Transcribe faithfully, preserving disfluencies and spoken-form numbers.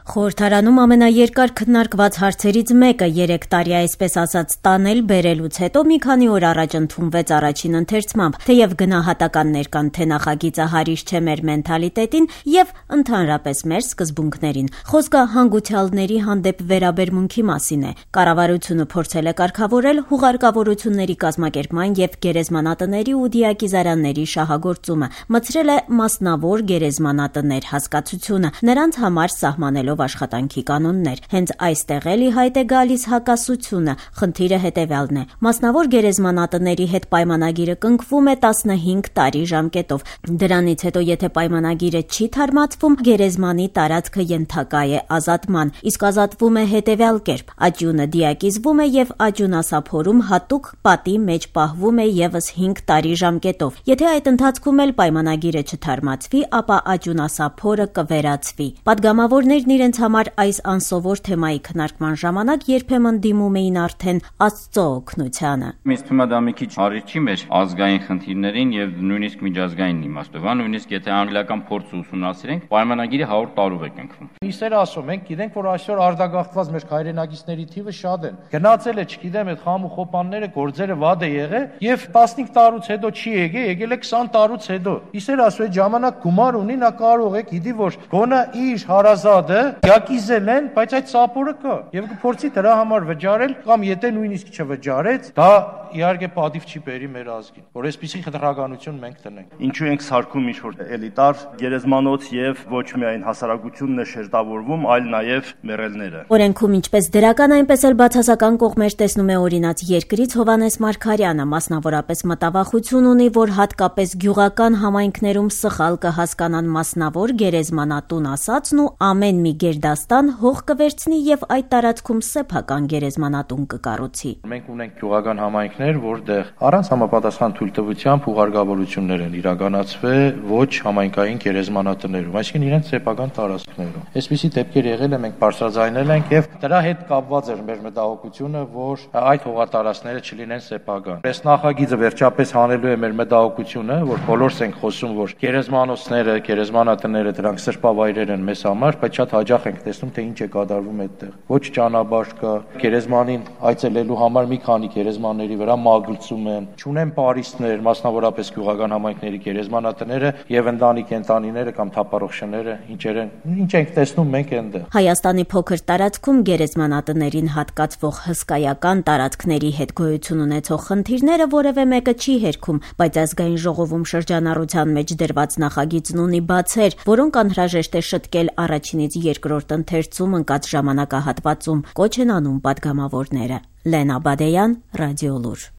Խորհրդարանում ամենաերկար քննարկված հարցերից մեկը երեք տարի այսպես ասած տանել բերելուց հետո մի քանի օր առաջ ընդունվեց առաջին ընթերցմամբ, թեև գնահատականներ կան, թե նախագիծը հարիշ չէ մեր մենթալիտետին եւ ընդհանրապես մեր սկզբունքներին։ Խոսքը հանգուցյալների հանդեպ վերաբերմունքի մասին է։ Կառավարությունը փորձել է կարգավորել հուղարկավորությունների կազմակերպման եւ գերեզմանատների ու դիակիզարանների շահագործումը, մցրել է մասնավոր գերեզմանատներ հասկացությունը, նրանց համար սահմանելով աշխատանքի կանոններ։ Հենց այստեղ էլ ի հայտ է գալիս հակասությունը։ Խնդիրը հետևյալն է. մասնավոր գերեզմանատների հետ պայմանագիրը կնքվում է տասնհինգ տարի ժամկետով։ Դրանից հետո եթե պայմանագիրը չի թարմացվում, գերեզմանի տարածքը ենթակա է ազատման, իսկ ազատվում է հետևյալ կերպ. աջունը դիակիզվում է եւ աջունասափորում հատուկ պատի մեջ պահվում է եւս հինգ տարի ժամկետով։ Եթե այդ ընթացքում էլ պայմանագիրը չթարմացվի, ապա աջունասափորը կվերացվի։ Պատգամավորներն իրենց համար այս անսովոր թեմայի քննարկման ժամանակ երբեմն դիմում էին արդեն Աստծո օգնությանը։ Ինձ թվում է դա մի քիչ հարիր չի մեր ազգային խնդիրներին եւ նույնիսկ միջազգային իմաստով, նույնիսկ եթե անգլիական փորձը ուսումնասիրենք, պայմանագիրը հարյուր տարով է կնքվում։ Իսեր ասում, մենք գիտենք, որ այսօր արտագաղթված մեր հայրենակիցների թիվը շատ են։ Գնացել է, չգիտեմ, այդ խամ ու խոպանները, գործերը վատ է եղել եւ տասնհինգ տարուց հետո չի եկել, եկել է քսան տարուց հետո։ Իսեր ասում, այդ ժամանակ գումար ունի, նա կարող է, գիտի, որ գոնա իր հարազատը դիակիզել են, բայց այդ սապորը կա եւ կփորձի դրա համար վճարել կամ եթե նույնիսկ չվճարեց, դա իհարկե պատիվ չի բերի մեր ազգին, որ այսպիսի խտրականություն մենք տնենք։ Ինչու ենք սարքում ինչ-որ էլիտար գերեզմանոց եւ ոչ միայն հասարակությունն է շերտավորվում, այլ նաեւ մեռելները։ Օրենքում ինչպես դրական, այնպես էլ բացասական կողմեր տեսնում է օրինաց երկրից Հովհաննես Մարգարյանը, մասնավորապես մտավախություն ունի, որ հատկապես գյուղական համայնքներում սխալ կհասկանան մասնավոր գերեզմանատուն ասածն ու ամեն մի գերդաստան հող կվերցնի եւ այդ տարածքում սեփական գերեզմանատուն կկառուցի։ Մենք ունենք գյուղական համայնքներ, որտեղ առանց համապատասխան թույլտվությամբ ուղարկավորություններ են իրականացվել ոչ համայնքային գերեզմանատներում, այսինքն իրենց սեփական տարածքներում։ Այսպիսի դեպքեր եղել է, մենք բարձրաձայնել ենք եւ դրա հետ կապված էր մեր մտահոգությունը, որ այդ հողատարածքները չլինեն սեփական։ Այս նախագիծը վերջապես հանելու է մեր մտահոգությունը, որ բոլորս ենք խոսում, որ գերեզմանոցները, գերեզմանատները դրանք սրբավայրեր են մեզ համար, բայց շատ հաճախ ենք տեսնում, թե ինչ է կատարվում այդտեղ։ Ոչ ճանապարհ կա, գերեզմանին այցելելու համար մի քանի գերեզմանների վրա մագլցում են, չունեն պարիսպներ, մասնավորապես գյուղական համայնքների գերեզմանատները եւ ընտանի կենտանիները կամ թափառող շները, ինչեր են, ինչ ենք տեսնում մենք այնտեղ։ Հայաստանի փոքր տարածքում գերեզմանատներին հատկացվող հսկայական տարածքների հետ գոյություն ունեցող խնդիրները որևէ մեկը չի հերքում, բայց ազգային ժողովում շրջանառության մեջ դրված նախագիծն ունի բացեր, որոնք անհրաժեշտ է շտկել առաջինից երկրորդ ընթերցում ընկած ժամանակահատվածում, կոչ են անում պատգամավորները։ Լենա Բադեյան, Ռադիոլուր։